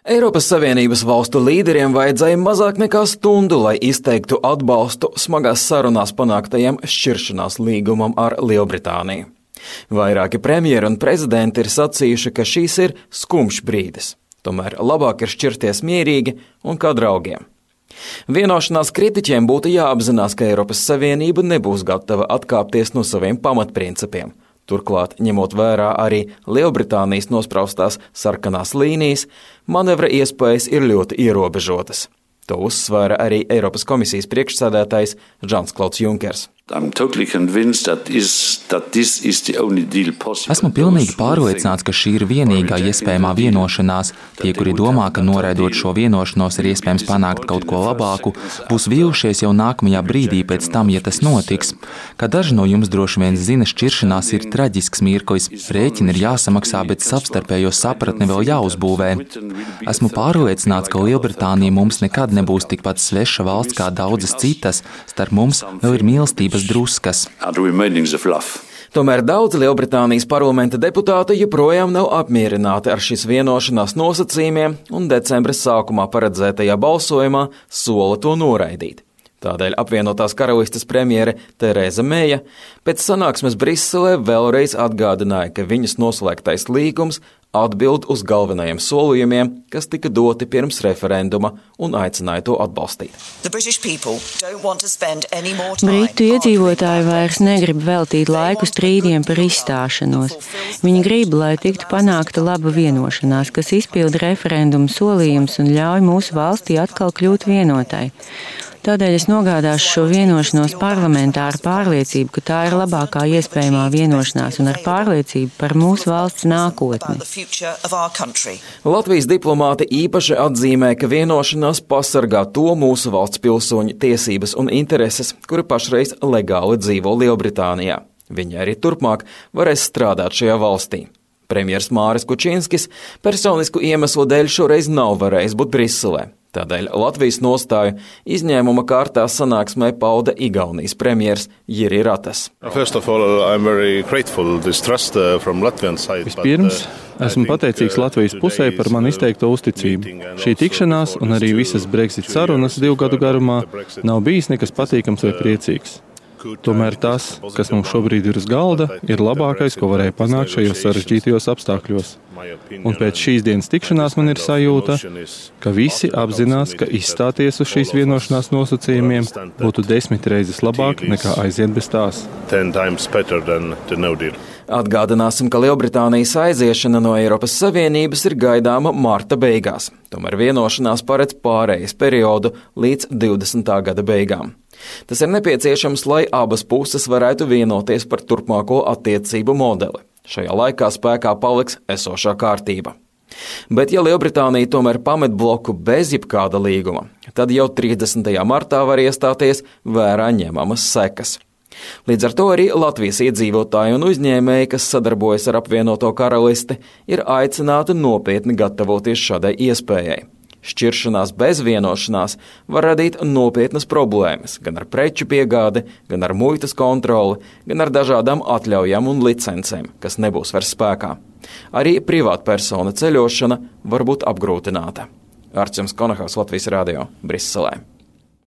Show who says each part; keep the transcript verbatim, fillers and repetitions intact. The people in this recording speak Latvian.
Speaker 1: Eiropas Savienības valstu līderiem vajadzēja mazāk nekā stundu, lai izteiktu atbalstu smagās sarunās panāktajam šķiršanās līgumam ar Lielbritāniju. Vairāki premjeri un prezidenti ir sacījuši, ka šīs ir skumjš brīdis. Tomēr labāk ir šķirties mierīgi un kā draugiem. Vienošanās kritiķiem būtu jāapzinās, ka Eiropas Savienība nebūs gatava atkāpties no saviem pamatprincipiem. Turklāt, ņemot vērā arī Lielbritānijas nospraustās sarkanās līnijas, manevra iespējas ir ļoti ierobežotas. To uzsvēra arī Eiropas komisijas priekšsēdētājs Žans-Klauds Junkers.
Speaker 2: Esmu pilnīgi pārliecināts, ka šī ir vienīgā iespējamā vienošanās. Tie, kuri domā, ka noraidot šo vienošanos ir iespējams panākt kaut ko labāku, būs vīlušies jau nākamajā brīdī pēc tam, ja tas notiks. Kā daži no jums droši vien zina, šķiršanās ir traģisks mirklis. Rēķini ir jāsamaksā, bet savstarpējo sapratni vēl jāuzbūvē. Esmu pārliecināts, ka Lielbritānija mums nekad nebūs tikpat sveša valsts kā daudzas citas. Starp mums vēl ir mīlestība. Druskas.
Speaker 1: Tomēr daudz Lielbritānijas parlamenta deputāti joprojām nav apmierināti ar šīs vienošanās nosacījumiem un decembra sākumā paredzētajā balsojumā sola to noraidīt. Tādēļ apvienotās karalistes premjere Tereza Meija pēc sanāksmes Briselē vēlreiz atgādināja, ka viņas noslēgtais līgums atbild uz galvenajiem solījumiem, kas tika doti pirms referenduma, un aicināja to atbalstīt.
Speaker 3: Britu iedzīvotāji vairs negrib veltīt laiku strīdiem par izstāšanos. Viņi grib, lai tiktu panākta laba vienošanās, kas izpilda referendumu solījumus un ļauj mūsu valstī atkal kļūt vienotai. Tādēļ es nogādāšu šo vienošanos parlamentā ar pārliecību, ka tā ir labākā iespējamā vienošanās un ar pārliecību par mūsu valsts nākotni.
Speaker 1: Latvijas diplomāti īpaši atzīmē, ka vienošanās pasargā to mūsu valsts pilsoņu tiesības un intereses, kuri pašreiz legāli dzīvo Lielbritānijā. Viņi arī turpmāk varēs strādāt šajā valstī. Premjers Māris Kučinskis personisku iemeslu dēļ šoreiz nav varējis būt Briselē. Tādēļ Latvijas nostāju izņēmuma kārtā sanāksmē pauda Igaunijas premjers Jiri Ratas.
Speaker 4: Vispirms, esmu pateicīgs Latvijas pusē par man izteikto uzticību. Šī tikšanās un arī visas Brexit sarunas divu gadu garumā nav bijis nekas patīkams vai priecīgs. Tomēr tas, kas mums šobrīd ir uz galda, ir labākais, ko varēja panākt šajos sarežģītajos apstākļos. Un pēc šīs dienas tikšanās man ir sajūta, ka visi apzinās, ka izstāties uz šīs vienošanās nosacījumiem būtu desmit reizes labāk nekā aiziet bez tās.
Speaker 1: Atgādināsim, ka Lielbritānijas aiziešana no Eiropas Savienības ir gaidāma marta beigās. Tomēr vienošanās paredz pārejas periodu līdz divdesmitā gada beigām. Tas ir nepieciešams, lai abas puses varētu vienoties par turpmāko attiecību modeli. Šajā laikā spēkā paliks esošā kārtība. Bet ja Lielbritānija tomēr pamet bloku bez jebkāda līguma, tad jau trīsdesmitajā martā var iestāties vērā ņemamas sekas. Līdz ar to arī Latvijas iedzīvotāji un uzņēmēji, kas sadarbojas ar apvienoto karalisti, ir aicināti nopietni gatavoties šādai iespējai. Šķiršanās bez vienošanās var radīt nopietnas problēmas gan ar preču piegādi, gan ar muitas kontroli, gan ar dažādām atļaujām un licencēm, kas nebūs vairs spēkā. Arī privātpersona ceļošana var būt apgrūtināta. Arčuns Konahaus, Latvijas radio, Briselē.